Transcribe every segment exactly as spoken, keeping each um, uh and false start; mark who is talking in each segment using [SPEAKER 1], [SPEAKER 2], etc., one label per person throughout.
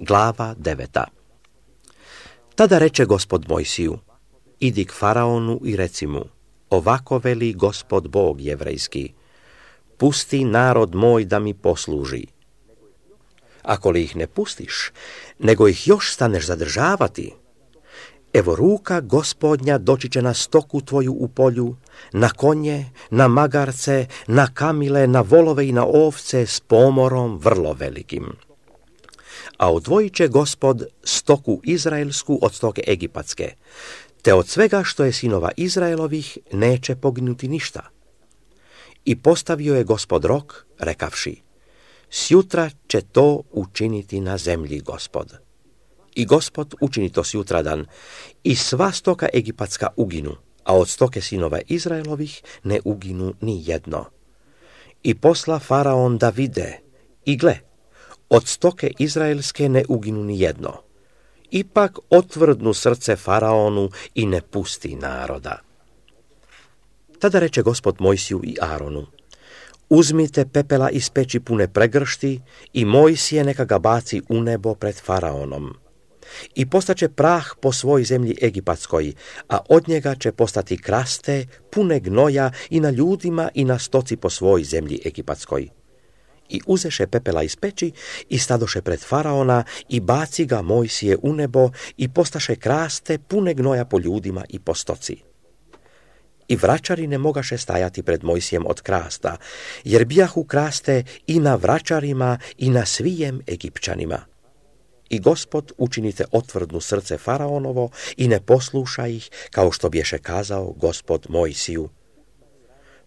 [SPEAKER 1] Glava deveta. Tada reče Gospod Mojsiju, idi k faraonu i reci mu, ovako veli Gospod Bog jevrejski, pusti narod moj da mi posluži. Ako li ih ne pustiš, nego ih još staneš zadržavati, evo ruka Gospodnja doći će na stoku tvoju u polju, na konje, na magarce, na kamile, na volove i na ovce s pomorom vrlo velikim. A odvojit će Gospod stoku izraelsku od stoke egipatske, te od svega što je sinova Izraelovih neće poginuti ništa. I postavio je Gospod rok, rekavši, sjutra će to učiniti na zemlji Gospod. I Gospod učini to sjutradan, i sva stoka egipatska uginu, a od stoke sinova Izraelovih ne uginu ni jedno. I posla faraon da vide, i gle, od stoke izraelske ne uginu ni jedno. Ipak otvrdnu srce faraonu i ne pusti naroda. Tada reče Gospod Mojsiju i Aronu, uzmite pepela iz peći pune pregršti i Mojsije neka ga baci u nebo pred faraonom. I postaće prah po svoj zemlji egipatskoj, a od njega će postati kraste, pune gnoja i na ljudima i na stoci po svoj zemlji egipatskoj. I uzeše pepela iz peći i stadoše pred faraona i baci ga Mojsije u nebo i postaše kraste, pune gnoja po ljudima i po stoci. I vračari ne mogaše stajati pred Mojsijem od krasta, jer bijahu kraste i na vračarima i na svijem Egipćanima. I Gospod učinite otvrdnu srce faraonovo i ne posluša ih, kao što bješe kazao Gospod Mojsiju.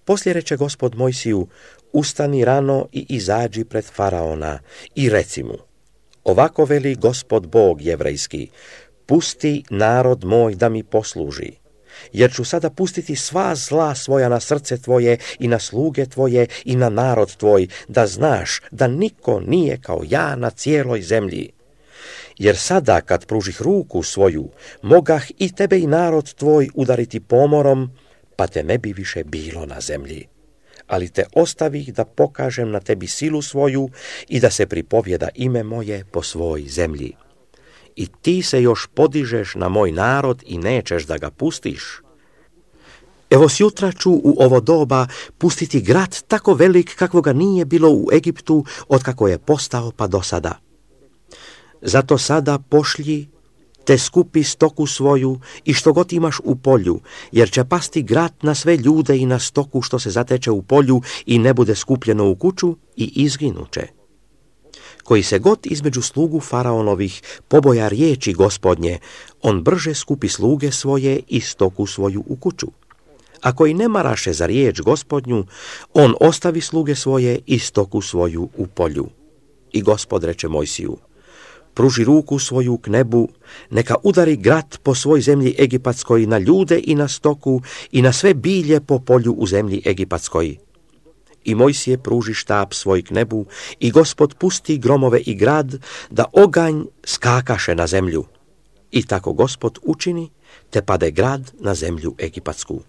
[SPEAKER 1] Poslije reče Gospod Mojsiju, ustani rano i izađi pred faraona i reci mu, ovako veli Gospod Bog jevrejski, pusti narod moj da mi posluži, jer ću sada pustiti sva zla svoja na srce tvoje i na sluge tvoje i na narod tvoj, da znaš da niko nije kao ja na cijeloj zemlji. Jer sada kad pružih ruku svoju, mogah i tebe i narod tvoj udariti pomorom, pa te ne bi više bilo na zemlji. Ali te ostavih da pokažem na tebi silu svoju i da se pripovjeda ime moje po svoj zemlji. I ti se još podižeš na moj narod i nećeš da ga pustiš. Evo sjutra ću u ovo doba pustiti grad tako velik kakvoga nije bilo u Egiptu od kako je postao pa do sada. Zato sada pošlji, te skupi stoku svoju i što god imaš u polju, jer će pasti grad na sve ljude i na stoku što se zateče u polju i ne bude skupljeno u kuću i izginuće. Koji se god između slugu faraonovih poboja riječi Gospodnje, on brže skupi sluge svoje i stoku svoju u kuću. A koji ne maraše za riječ Gospodnju, on ostavi sluge svoje i stoku svoju u polju. I Gospod reče Mojsiju, pruži ruku svoju k nebu, neka udari grad po svoj zemlji egipatskoj na ljude i na stoku i na sve bilje po polju u zemlji egipatskoj. I Mojsije pruži štap svoj k nebu i Gospod pusti gromove i grad da oganj skakaše na zemlju. I tako Gospod učini, te pade grad na zemlju egipatsku.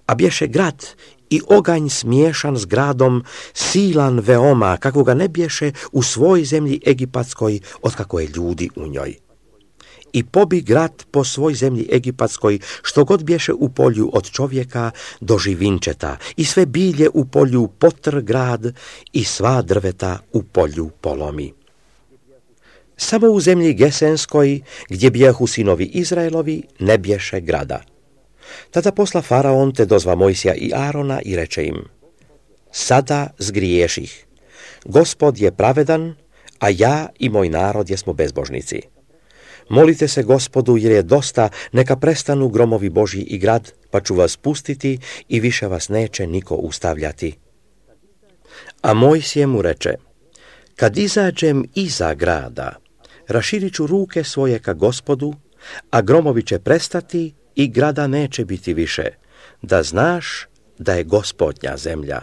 [SPEAKER 1] A bješe grad i oganj smiješan s gradom, silan veoma, kakvoga ne bješe u svoj zemlji egipatskoj, od kako je ljudi u njoj. I pobi grad po svoj zemlji egipatskoj, što god bješe u polju od čovjeka do živinčeta, i sve bilje u polju potr grad, i sva drveta u polju polomi. Samo u zemlji Gesenskoj, gdje bijahu sinovi Izraelovi, ne bješe grada. Tada posla faraon te dozva Mojsija i Arona i reče im, sada zgriješih. Gospod je pravedan, a ja i moj narod jesmo bezbožnici. Molite se Gospodu, jer je dosta, neka prestanu gromovi Božji i grad, pa ću vas pustiti i više vas neće niko ustavljati. A Mojsije mu reče, kad izađem iza grada, raširit ću ruke svoje ka Gospodu, a gromovi će prestati i grada neće biti više, da znaš da je Gospodnja zemlja.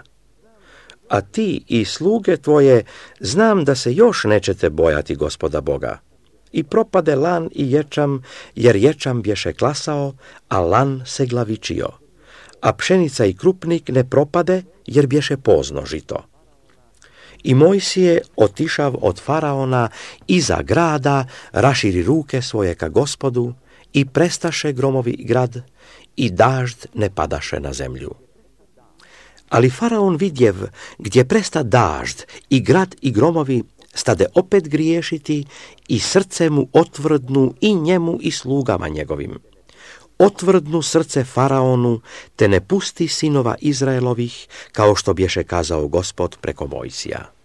[SPEAKER 1] A ti i sluge tvoje znam da se još nećete bojati Gospoda Boga. I propade lan i ječam, jer ječam bješe klasao, a lan se glavičio. A pšenica i krupnik ne propade, jer bješe pozno žito. I Mojsije, otišav od faraona iza grada, raširi ruke svoje ka Gospodu i prestaše gromovi grad i dažd ne padaše na zemlju. Ali faraon vidjev gdje presta dažd i grad i gromovi stade opet griješiti i srce mu otvrdnu i njemu i slugama njegovim. Otvrdnu srce faraonu te ne pusti sinova Izraelovih kao što bješe kazao Gospod preko Mojsija.